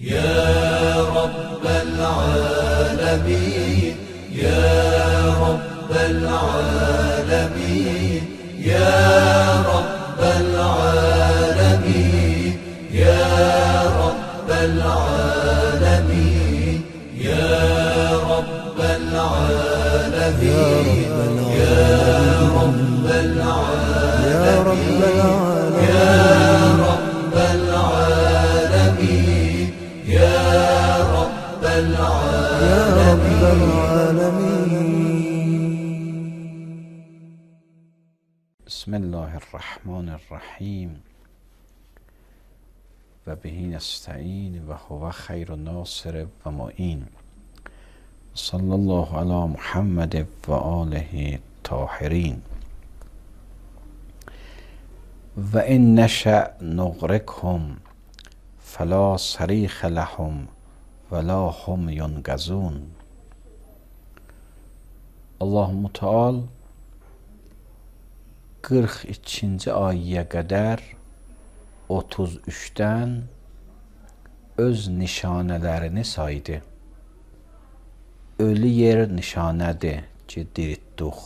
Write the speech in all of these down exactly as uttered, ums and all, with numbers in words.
يا رب العالمين يا رب العالمين يا رب العالمين يا رب العالمين يا رب العالمين يا رب العالمين يا رب العالمين يا رب العالمين. بسم الله الرحمن الرحیم و به نستعین و هو خیر ناصر و معین. صلی الله علی محمد و آله الطاهرین. و ان نشأ نغرقهم فلا صریخ لهم ولا هم ینقذون. Allah Müteal qırx ikinci ayəyə qədər otuz üçdən öz nişanələrini saydı. Ölü yer nişanədir ki, diritduq.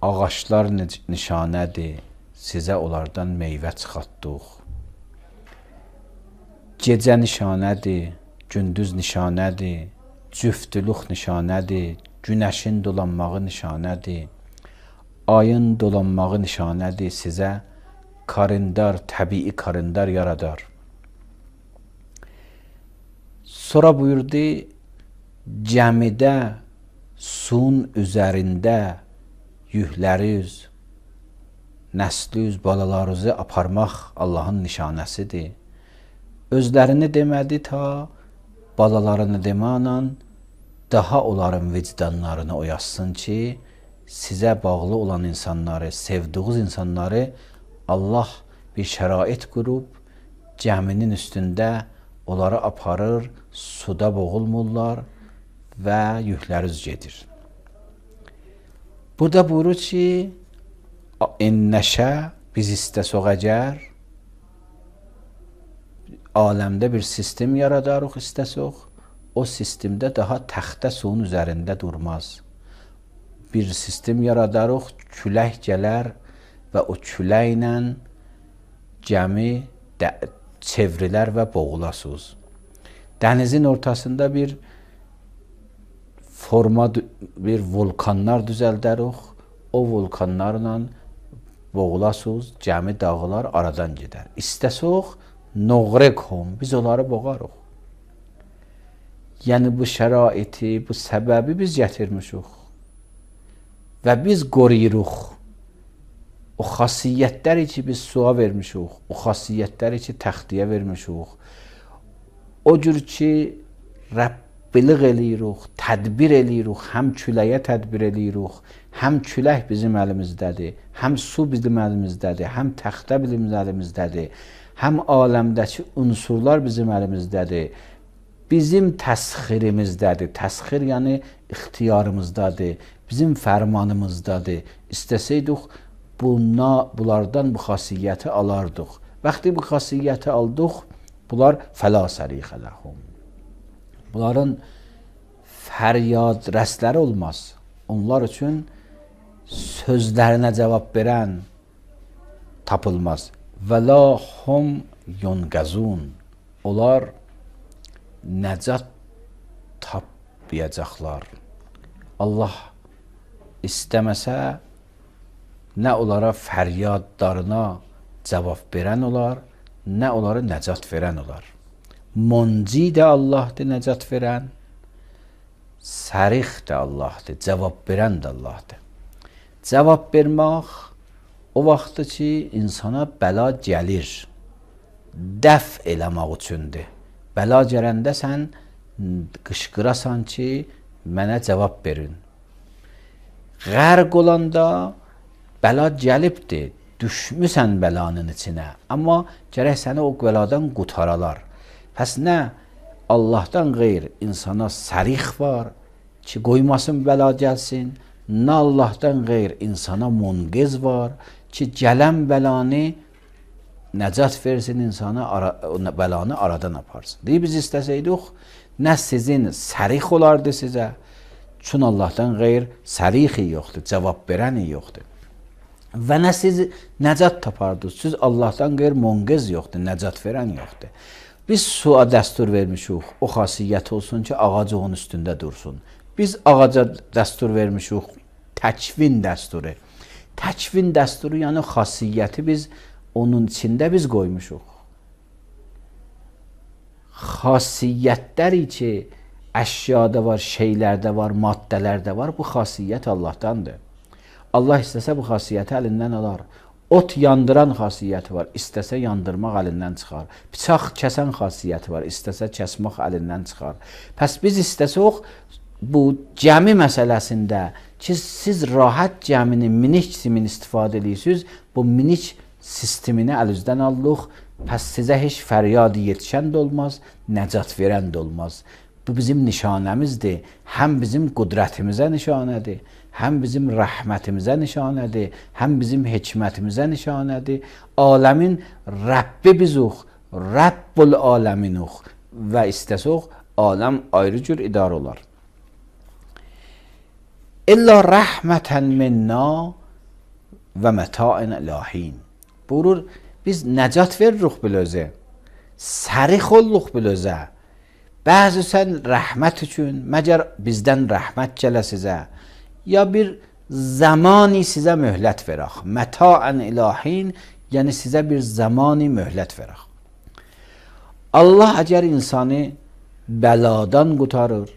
Ağaçlar nişanədir, sizə onlardan meyvə çıxartdıq. Gecə nişanədir, gündüz nişanədir, cüftülük nişanədir, günəşin dolanmağı nişanədir, ayın dolanmağı nişanədir, sizə karindar, təbii karindar yaradar. Sonra buyurdu, cəmidə, suyun üzərində yükləri üz, nəsli üz, balalarınızı aparmaq Allahın nişanəsidir. Özlərini demədi ta, balalarını deməklə daha onların vicdanlarını oyasın ki, sizə bağlı olan insanları, sevdiğiniz insanları Allah bir şərait qurub, gəminin üstündə onları aparır, suda boğulmurlar və yükləri üz gedir. Burada buyurur ki, innəşə, biz istəsək əgər, aləmdə bir sistem yaradarıq istəsək, o sistemdə daha təxtə suyun üzərində durmaz. Bir sistem yaradarıq, külək gələr və o küləklə gəmi çevrilər və boğulasınız. Dənizin ortasında bir forma, bir vulkanlar düzəldərik, o vulkanlarla boğulasınız, gəmi dağılar, aradan gedər. İstəsək, noğrekhum, biz onları boğarıq. Yəni bu şəraiti, bu səbəbi biz gətirmişik və biz qoruyuruq. O xasiyyətləri ki, biz suya vermişik, o xasiyyətləri ki, təxtiyə vermişik, o cür ki, Rəbbilik eləyirik, tədbir eləyirik, həm küləyə tədbir eləyirik, həm külək bizim əlimizdədir, həm su bizim əlimizdədir, həm təxtə bizim əlimizdədir, həm aləmdəki unsurlar bizim əlimizdədir, bizim təsxirimizdədir. Təsxir yəni ixtiyarımızdadır, bizim fərmanımızdadır. İstəsəydik, buna, bunlardan bu xasiyyəti alardıq. Vaxtı bu xasiyyəti aldıq, bunlar fəla sərixə ləhum. Bunların fəryad rəsləri olmaz. Onlar üçün sözlərinə cavab verən tapılmaz. Və la hum yunqazun. Onlar nəcat tapmayacaqlar. Allah istəməsə, nə onlara fəryadlarına cavab verən olar, nə onlara nəcat verən olar. Munci də Allahdır, nəcat verən, sərix də Allahdır, cavab verən də Allahdır. Cavab vermək o vaxtdır ki, insana bəla gəlir, dəf eləmək üçündür. Bəla gələndə sən qışqırasan ki, mənə cavab verin. Qərq olanda bəla gəlibdir, düşmüsən bəlanın içinə, amma gərək səni o bəladan qutaralar. Pəs nə Allahdan qeyr insana sərix var ki, qoymasın bəla gəlsin, nə Allahdan qeyr insana munqiz var ki, gələn bəlanı nəcat versin insana, ara, bəlanı aradan aparsın. Deyib biz istəsəydik, nə sizin sərix olardı sizə, çün Allahdan qeyr sərixi yoxdur, cavab verəni yoxdur. Və nə siz nəcat tapardınız, siz Allahdan qeyr munqiz yoxdur, nəcat verən yoxdur. Biz suya dəstur vermişik, o xasiyyət olsun ki, ağac onun üstündə dursun. Biz ağaca dəstur vermişik, təkvin dəsturu. Təkvin dəsturu, yəni xasiyyəti biz onun içində biz qoymuşuq. Xasiyyətləri ki, əşyada var, şeylərdə var, maddələrdə var, bu xasiyyət Allahdandır. Allah istəsə bu xasiyyəti əlindən alar. Ot yandıran xasiyyəti var, istəsə yandırmaq əlindən çıxar. Bıçaq kəsən xasiyyəti var, istəsə kəsmək əlindən çıxar. Pəs biz istəsək bu cəmi məsələsində ki, siz rahat cəmini minik simin istifadə edirsiniz, bu minik sistemini əlinizdən alırıq, pəs sizə heç fəryad yetişən də olmaz, nəcat verən də olmaz. Bu bizim nişanəmizdir, həm bizim qudrətimizə nişanədir, həm bizim rəhmətimizə nişanədir, həm bizim hikmətimizə nişanədir. Aləmin Rəbbi bizuq, Rəbbul aləminuq və istəsək, aləm ayrı cür idarə olar. İlla rəhmətən minna və mətain ilahin. Buyurur, biz nəcat veririk bilözə, sərix olluq bilözə. Bəzi sən rəhmət üçün, məgər bizdən rəhmət gələ sizə, ya bir zamani sizə möhlət verək. Mətaən ilahin, yəni sizə bir zamani möhlət verək. Allah əgər insanı bəladan qutarır,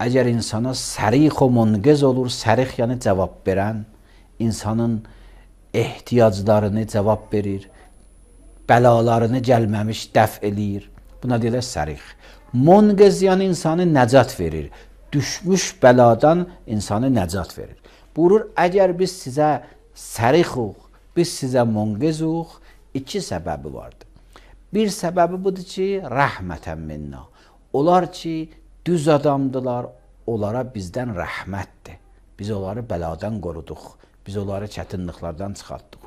əgər insana sərix o munqiz olur, sərix yəni cavab verən, insanın ehtiyaclarını cavab verir, bəlalarını gəlməmiş dəf eləyir. Buna deyilə sərix. Munqiz yəni insanı nəcat verir. Düşmüş bəladan insanı nəcat verir. Buyurur, əgər biz sizə sərixuq, biz sizə munqizuq, iki səbəbi vardır. Bir səbəbi budur ki, rəhmətən minna. Onlar ki, düz adamdılar, onlara bizdən rəhmətdir. Biz onları bəladan qoruduq, biz onları çətinliklərdən çıxartdıq.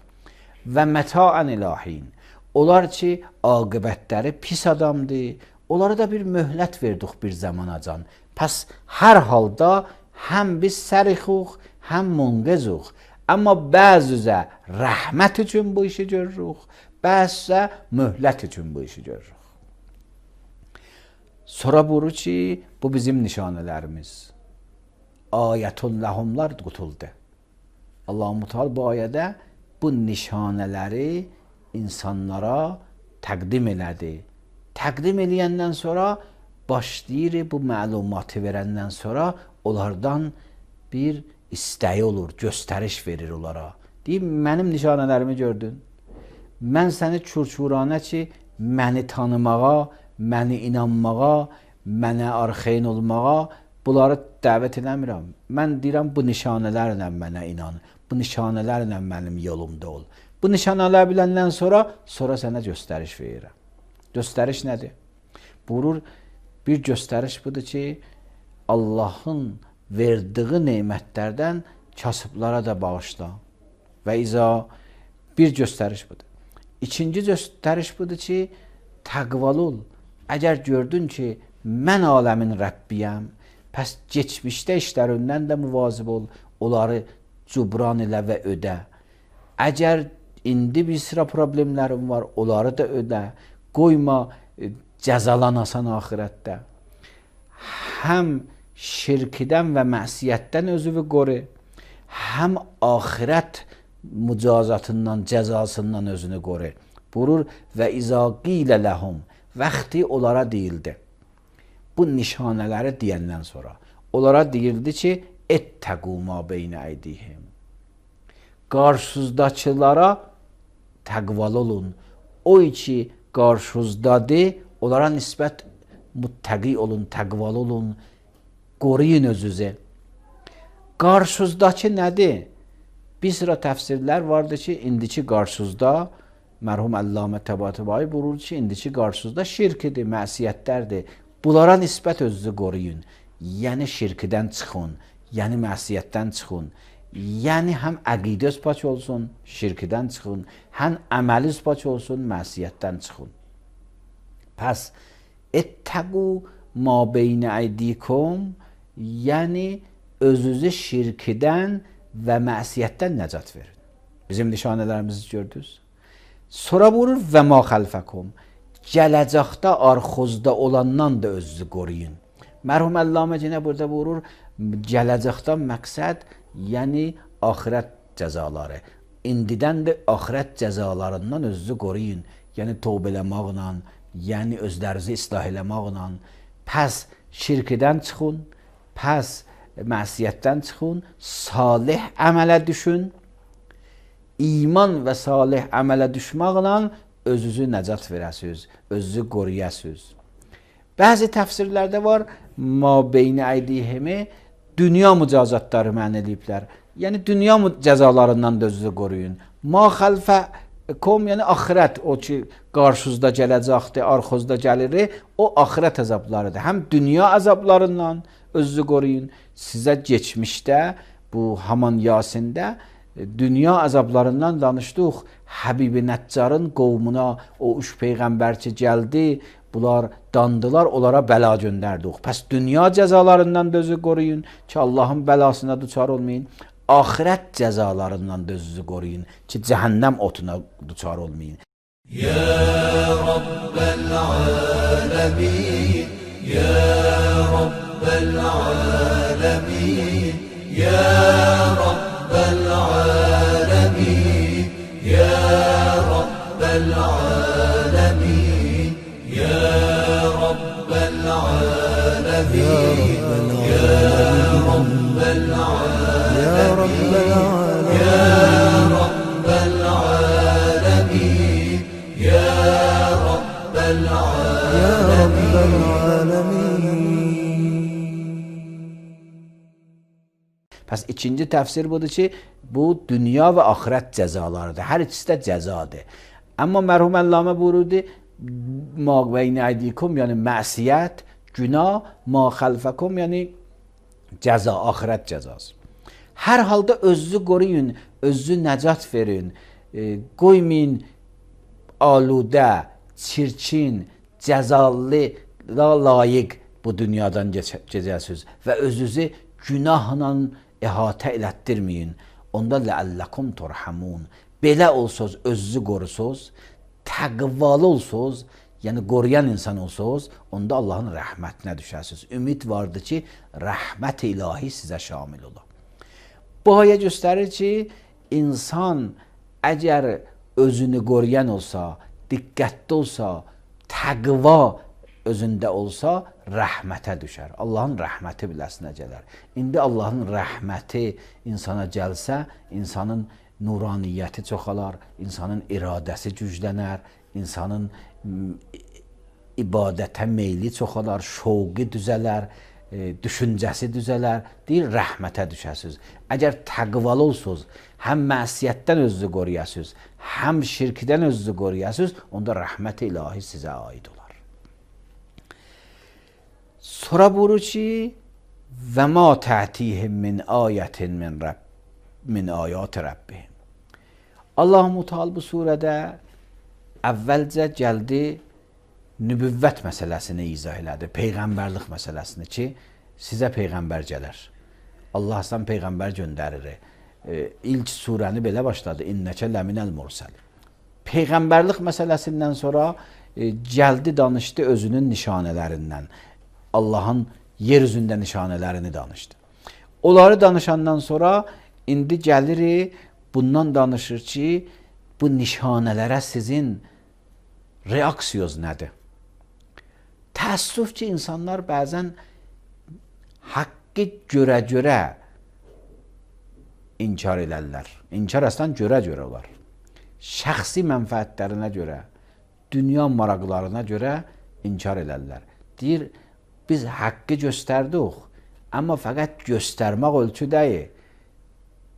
Və mətaən ilahin. Onlar ki, aqibətləri pis adamdır, onlara da bir möhlət verdik bir zamanacan. Pəs hər halda həm biz sərixuq, həm munqizuq. Amma bəzüzə rəhmət üçün bu işi görürük, bəzüzə möhlət üçün bu işi görürük. Sonra buyurur ki, bu bizim nişanələrimiz. Ayətun ləhumlar qutuldu. Allah-u Teala bu ayədə bu nişanələri insanlara təqdim elədi. Təqdim eləyəndən sonra başlayır bu məlumatı verəndən sonra onlardan bir istəyi olur, göstəriş verir onlara. Deyib, mənim nişanələrimi gördün. Mən səni çurçuranə ki, məni tanımağa, məni inanmağa, mənə arxeyn olmağa, bunları dəvət eləmirəm. Mən deyirəm, bu nişanələrlə mənə inan, bu nişanələrlə mənim yolumda ol. Bu nişanələr biləndən sonra, sonra sənə göstəriş verirəm. Göstəriş nədir? Buyurur, bir göstəriş budur ki, Allahın verdiği neymətlərdən kasıblara da bağışla. Və iza bir göstəriş budur. İkinci göstəriş budur ki, təqvalı ol. Əgər gördün ki, mən aləmin Rəbbiyəm, pəs geçmişdə işlərindən də müvazib ol, onları cubran elə və ödə. Əgər indi bir sıra problemlərin var, onları da ödə. Qoyma, cəzalanasan axirətdə. Həm şirkidən və məsiyyətdən özünü qoru, həm axirət mücazatından, cəzasından özünü qoru. Buyurur, və izâ qilə ləhum, vaxtı onlara deyildi. Bu nişanələri deyəndən sonra, onlara deyildi ki, ettəqû mâ beynə əydihim. Qarşınızdakılara təqvalı olun. O ki, qarşınızdadır, onlara nisbət muttəqi olun, təqvalı olun, qoruyun özünüzü. Qarşınızdakı nədir? Bir sıra təfsirlər vardır ki, indiki qarşınızda, mərhum Əllamə Təbatəbai buyurur ki, indiki qarşınızda şirkidir, məsiyyətlərdir. Bunlara nisbət özünüzü qoruyun. Yəni şirkidən çıxın, yəni məsiyyətdən çıxın. Yəni həm əqidəs pak olsun, şirkdən çıxın, həm əməliz pak olsun, məsiyyətdən çıxın. Pəs ettəqu ma beyn əydikum, yəni özünüzü şirkdən və məsiyyətdən nəcat verin. Bizim nişanələrimizi gördünüz. Sonra vurur və ma xəlfəkum, gələcəkdə arxozda olandan da özünüzü qoruyun. Mərhum Əllamə yenə burada vurur, gələcəkdə məqsəd, yəni axirət cəzaları. İndidən də axirət cəzalarından özünüzü qoruyun. Yəni tövbə eləməklə, yəni özlərinizi islah eləməklə, pəs şirkdən çıxın, pəs məsiyyətdən çıxın, salih əmələ düşün. İman və salih əmələ düşməklə özünüzü nəcat verəsiniz, özünüzü qoruyasınız. Bəzi təfsirlərdə var, ma beyn əydihimi dünya mücazatları mən eləyiblər. Yəni dünya cəzalarından da özünüzü qoruyun. Ma xəlfəkum, yəni axirət, o ki qarşınızda gələcəkdir, arxozda gəlir, o axirət əzablarıdır. Həm dünya əzablarından özünüzü qoruyun. Sizə keçmişdə, bu Haman Yasində dünya əzablarından danışdıq. Həbibi Nəccarın qovmuna o üç peyğəmbər ki gəldi, bunlar dandılar, onlara bəla göndərdik. Pəs dünya cəzalarından da özünüzü qoruyun ki, Allahın bəlasına düçar olmayın. Axirət cəzalarından da özünüzü qoruyun ki, cəhənnəm otuna düçar olmayın. Ya Rabbel alemin, Ya Rabbel alemin, Ya Rabbel alemin, Ya Rabbel alemin, Ya Rabbel alemin, Ya Rabbel alemin, Ya Rabbel alemin, Ya Rabbel alemin, Ya Rabbel Ya Rabbel alemin. Pəs ikinci təfsir budur ki, bu dünya və axirət cəzalarıdır. Hər ikisi də cəzadır. Amma mərhum Əllamə buyurdu, ma beyn əydikum, yəni məsiyyət, günah, ma xəlfəkum, yəni cəza, axirət cəzası. Hər halda özünüzü qoruyun, özünüzü nəcat verin, e, qoymayın aludə, çirkin, cəzalı, layiq bu dünyadan keçəsiniz və özünüzü günahla əhatə elətdirməyin. Onda ləəlləkum turhamun. Belə olsuz, özünüzü qorusuz, təqvalı olsuz, yəni qoruyan insan olsuz, onda Allahın rəhmətinə düşəsiniz. Ümid vardır ki, rəhmət ilahi sizə şamil ola. Bu ayə göstərir ki, insan əgər özünü qoruyan olsa, diqqətli olsa, təqva özündə olsa, rəhmətə düşər. Allahın rəhməti biləsinə gələr. İndi Allahın rəhməti insana gəlsə, insanın nuraniyyəti çoxalar, insanın iradəsi güclənər, insanın ibadətə meyli çoxalar, şovqi düzələr, e, düşüncəsi düzələr, deyir, rəhmətə düşəsiniz. Əgər təqvalı olsunuz, həm məsiyyətdən özünüzü qoruyasınız, həm şirkdən özünüzü qoruyasınız, onda rəhmət ilahi sizə aid olar. Sonra buyurur ki, və ma tə'tihim min ayətin min, Rəbb, min ayat Rəbbihim. Allah-u Teala bu surədə əvvəlcə gəldi, nübüvvət məsələsini izah elədi, peyğəmbərlik məsələsini ki, sizə peyğəmbər gələr. Allah sizdən peyğəmbər göndərir. E, ilk surəni belə başladı, innəkə ləminəl mursəl. Peyğəmbərlik məsələsindən sonra e, gəldi, danışdı özünün nişanələrindən. Allahın yer üzündə nişanələrini danışdı. Onları danışandan sonra indi gəlir, bundan danışır ki, bu nişanələrə sizin reaksiyonuz nədir? Təəssüf ki, insanlar bəzən haqqı görə-görə inkar elərlər. İnkar əslən görə-görə olar. Şəxsi mənfəətlərinə görə, dünya maraqlarına görə inkar elərlər. Deyir, biz haqqı göstərdik, amma fəqət göstərmək ölçü deyil.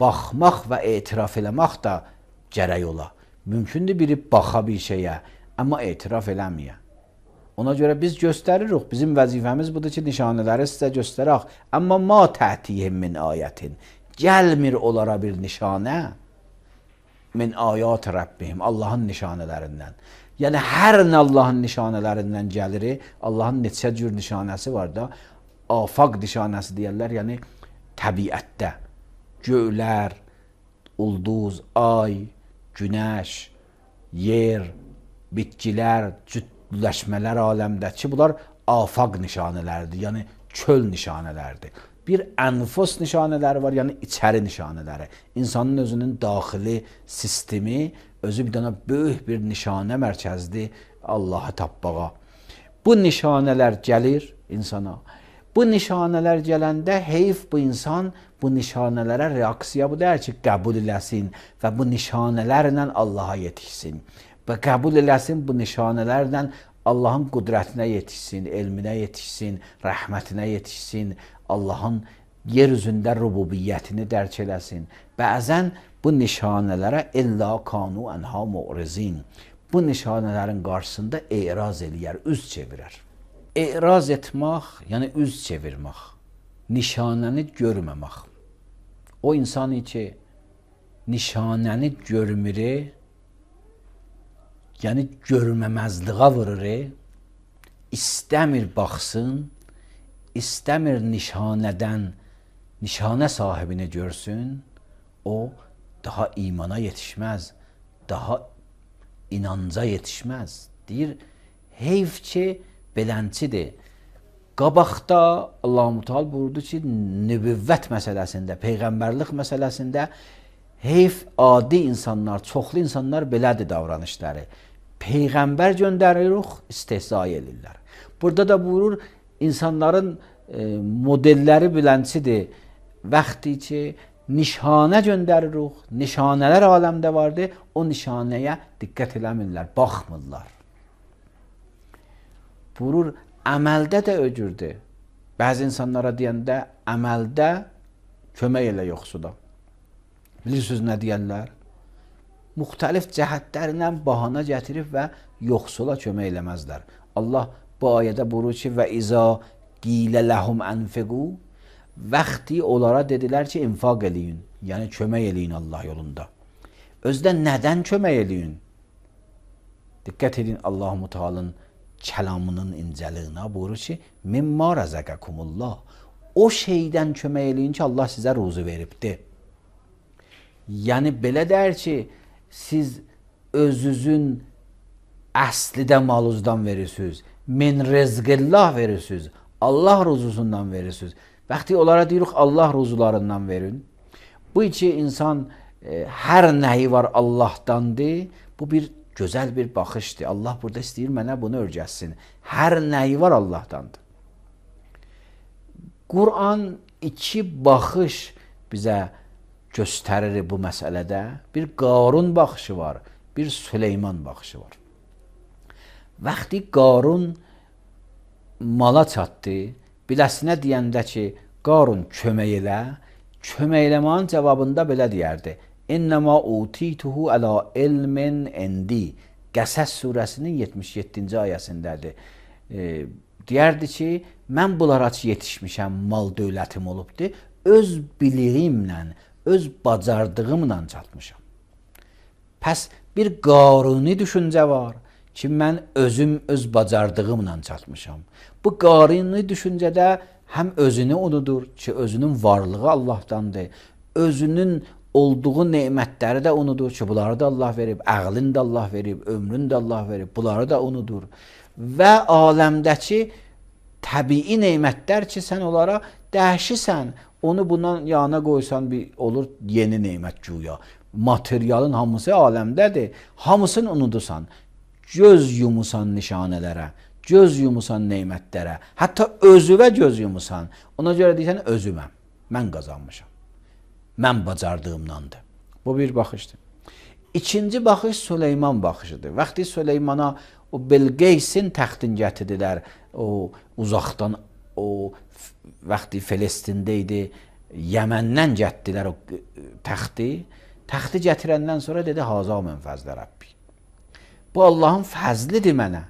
Baxmaq və etiraf eləmək də gərək ola. Mümkündür biri baxa bir şeyə, amma etiraf eləməyə. Ona görə biz göstəririk. Bizim vəzifəmiz budur ki, nişanələri sizə göstərək. Amma ma tə'tihim min ayətin. gəlmir onlara bir nişanə min ayat Rabbihim, Allahın nişanələrindən. Yəni hər nə Allahın nişanələrindən gəlir, Allahın neçə cür nişanəsi var da, afaq nişanəsi deyirlər, yəni təbiətdə göylər, ulduz, ay, günəş, yer, bitkilər, cütləşmələr aləmdəki bunlar afaq nişanələrdir, yəni çöl nişanələrdir. Bir ənfus nişanələri var, yəni içəri nişanələri. İnsanın özünün daxili sistemi, özü bir dənə böyük bir nişanə mərkəzdir Allahı tapbağa. Bu nişanələr gəlir insana. Bu nişanələr gələndə heyf bu insan bu nişanələrə reaksiya bu deyir ki, qəbul eləsin və bu nişanələrlə Allaha yetişsin. Və qəbul eləsin bu nişanələrlə Allahın qüdrətinə yetişsin, elminə yetişsin, rəhmətinə yetişsin, Allahın yer üzündə rububiyyətini dərk eləsin. Bəzən bu nişanələrə illa kanu ənha mu'rizin. Bu nişanələrin qarşısında e'raz eləyər, üz çevirər. E'raz etmək, yəni üz çevirmək, nişanəni görməmək. O insan ki, nişanəni görmür, yəni görməməzliğə vurur, istəmir baxsın, istəmir nişanədən, nişanə sahibini görsün, o daha imana yetişməz, daha inanca yetişməz. Deyir, heyf ki, belənçidir. Qabaqda Allah-u Teala buyurdu ki, nübüvvət məsələsində, peyğəmbərlik məsələsində heyf adi insanlar, çoxlu insanlar belədir davranışları. Peyğəmbər göndəririk, istehza edirlər. Burada da buyurur, insanların e, modelləri bilənçidir. Vaxtı ki, nişanə göndəririk, nişanələr aləmdə vardır, o nişanəyə diqqət eləmirlər, baxmırlar. Buyurur, əməldə də öcürdür. Bəzi insanlara deyəndə, əməldə kömək elə yoxsuda. Bilirsiniz nə deyərlər? Müxtəlif cəhətlərlə bahana gətirib və yoxsula kömək eləməzlər. Allah bu ayədə buyurur ki, və izə qilə ləhum ənfiqu, vaxtı onlara dedilər ki, infaq eləyin, yəni kömək eləyin Allah yolunda. Özdə nədən kömək eləyin? Diqqət edin Allah-u Teala'nın kəlamının incəliyinə buyurur ki, mimma rəzəqəkumullah. O şeydən kömək eləyin ki, Allah sizə ruzu veribdir. Yəni belə deyir ki, siz özünüzün əslidə maluzdan verirsiniz, min rezqillah verirsiniz, Allah ruzusundan verirsiniz. Vaxtı onlara deyirik, Allah ruzularından verin. Bu iki insan e, hər nəyi var Allahdandır, bu bir gözəl bir baxışdır. Allah burada istəyir mənə bunu öyrətsin. Hər nəyi var Allahdandır. Quran iki baxış bizə göstərir bu məsələdə. Bir Qarun baxışı var, bir Süleyman baxışı var. Vaxtı Qarun mala çatdı, biləsinə deyəndə ki, Qarun kömək elə, kömək eləmənin cavabında belə deyərdi. İnnəmə utituhu əla ilmin indi. Qəsəs surəsinin yetmiş yeddinci ayəsindədir. E, deyərdi ki, mən bunlara yetişmişəm, mal dövlətim olubdur, öz biliyimlə, öz bacardığımla çatmışam. Pəs bir Qaruni düşüncə var ki, mən özüm öz bacardığımla çatmışam. Bu Qaruni düşüncədə həm özünü unudur ki, özünün varlığı Allahdandır, özünün olduğu nemətləri də unudur ki, bunları da Allah verib, əqlini də Allah verib, ömrünü də Allah verib, bunları da unudur. Və aləmdəki təbii nemətlər ki, sən onlara dəhşisən, onu bundan yana qoysan bir olur yeni nemət güya. Materialın hamısı aləmdədir, hamısını unudusan, göz yumusan nişanələrə, göz yumusan nemətlərə, hətta özüvə göz yumusan, ona görə deyirsən, özüməm, mən qazanmışam. Mən bacardığımdandır. Bu bir baxışdır. İkinci baxış Süleyman baxışıdır. Vaxtı Süleymana o Bilqeysin təxtin gətirdilər, o uzaqdan, o vaxtı Filistində idi, Yəməndən gətirdilər o təxti. Təxti gətirəndən sonra dedi, haza mən fəzlə Rəbbi. Bu Allahın fəzlidir mənə.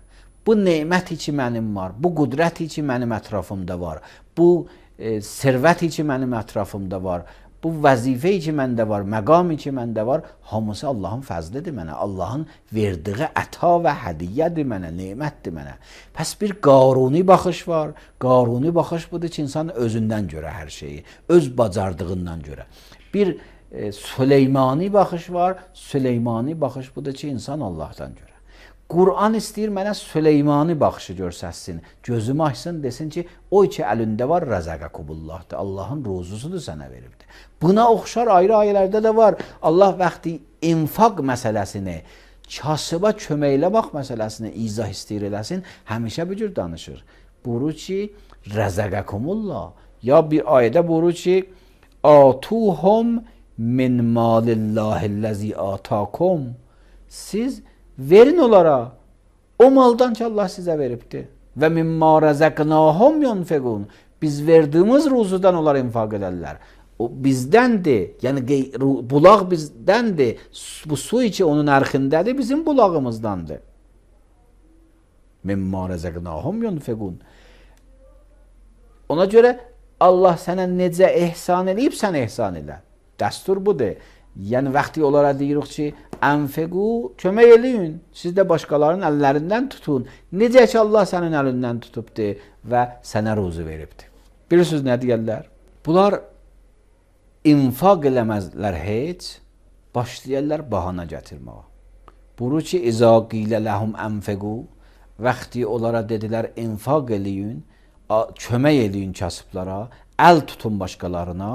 Bu nemət ki mənim var, bu qüdrət ki mənim ətrafımda var, bu e, sirvət ki mənim ətrafımda var, bu vəzifəyi ki məndə var, məqami ki məndə var, hamısı Allahın fəzlidir mənə, Allahın verdiyi əta və hədiyyədir mənə, nemətdir mənə. Pəs bir qaruni baxış var. Qaruni baxış budur ki, insan özündən görə hər şeyi, öz bacardığından görə. Bir e, Süleymani baxış var. Süleymani baxış budur ki, insan Allahdan görə. Qur'an istəyir mənə Süleymani baxışı görsəsin, gözümü açsın, desin ki, o ki əlində var, rəzəqəkubullahdır, Allahın ruzusudur sənə veribdir. Buna oxşar ayrı ayələrdə də var. Allah vaxtı infaq məsələsini, kasıba köməkləmək məsələsini izah istəyir eləsin, həmişə bu cür danışır. Buyurur ki, rəzəqəkumullah. Ya bir ayədə buyurur ki, atuhum min malillahillezî atakum. Siz verin onlara o maldan ki Allah sizə veribdir. Və mimma rəzəqnahum yunfiqun. Biz verdiğimiz ruzudan onlar infak ederler. O bizdəndir. Yəni bulaq bizdəndir. Bu su içi onun ərxindədir, bizim bulağımızdandır. Mimma rəzəqnahum yunfiqun. Ona görə Allah sənə necə ehsan eləyib, sən ehsan elə. Dəstur budur. Yəni vaxtı onlara deyirik ki, ənfiqu, kömək eləyin. Siz də başqalarının əllərindən tutun. Necə ki Allah sənin əlindən tutubdur və sənə ruzu veribdir. Bilirsiniz nə deyirlər? Bunlar infaq eləməzlər heç, başlayırlar bahana gətirməyə. Buyurur ki, İzâ qilə ləhum ənfiqu, vaxtı onlara dedilər infaq eləyin, kömək eləyin kasıblara, əl tutun başqalarına.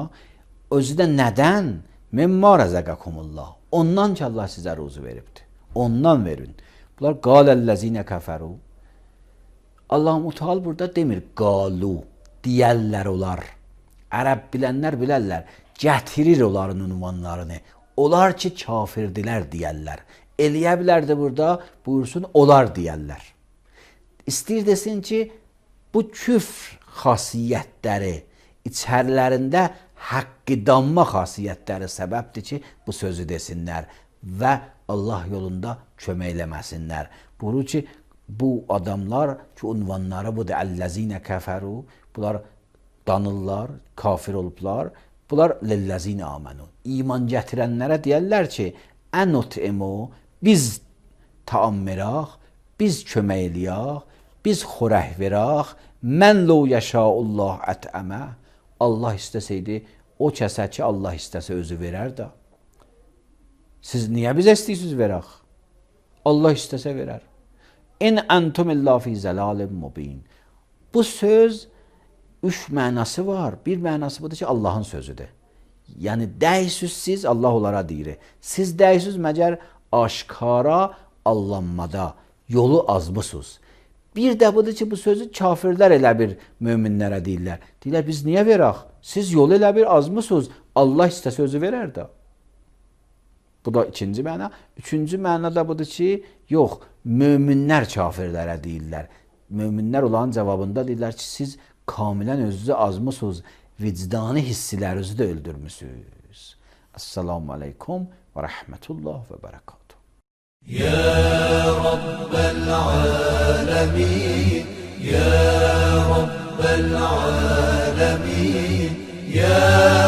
Özü də nədən? Mimma rəzəqəkumullah. Ondan ki Allah sizə ruzu veribdir. Ondan verin. Bunlar qaləllezine kəfəru. Allah-u Teala burada demir qalu, deyərlər olar. Ərəb bilənlər bilərlər. Gətirir onların ünvanlarını. Onlar ki kafirdirlər deyərlər. Eləyə bilərdi burada, buyursun olar deyərlər. İstəyir desin ki, bu küfr xasiyyətləri içərilərində haqqı danma xasiyyətləri səbəbdir ki, bu sözü desinlər və Allah yolunda köməkləməsinlər. Buyurur ki, bu adamlar ki, unvanları budur, əlləzinə kəfəru, bunlar danırlar, kafir olublar, bunlar lilləzinə amenu. İman gətirənlərə deyərlər ki, ənut'imu, biz taam verək, biz kömək eləyək, biz xorək verək, mən ləu yəşaullah ətəmə. Allah istəsəydi, o kəsə ki, Allah istəsə özü verər də. Siz niyə bizə istəyirsiniz verək? Allah istəsə verər. İn əntum illa fi zəlalim mubin. Bu söz üç mənası var. Bir mənası budur ki, Allahın sözüdür. Yəni, dəysüz siz, Allah onlara deyir. Siz dəysüz məgər aşkara allanmada yolu azmısınız. Bir də budur ki, bu sözü kafirlər elə bir möminlərə deyirlər. Deyirlər, biz niyə verək? Siz yolu elə bir azmısınız. Allah istəsə özü verər də. Bu da ikinci məna. Üçüncü məna da budur ki, yox, möminlər kafirlərə deyirlər. Möminlər olan cavabında deyirlər ki, siz kamilən özünüzü azmısınız. Vicdani hissilərinizi də öldürmüsünüz. Esselamu aleykum və rəhmətullah və bərəkatuhu. يا رب العالمين يا رب العالمين يا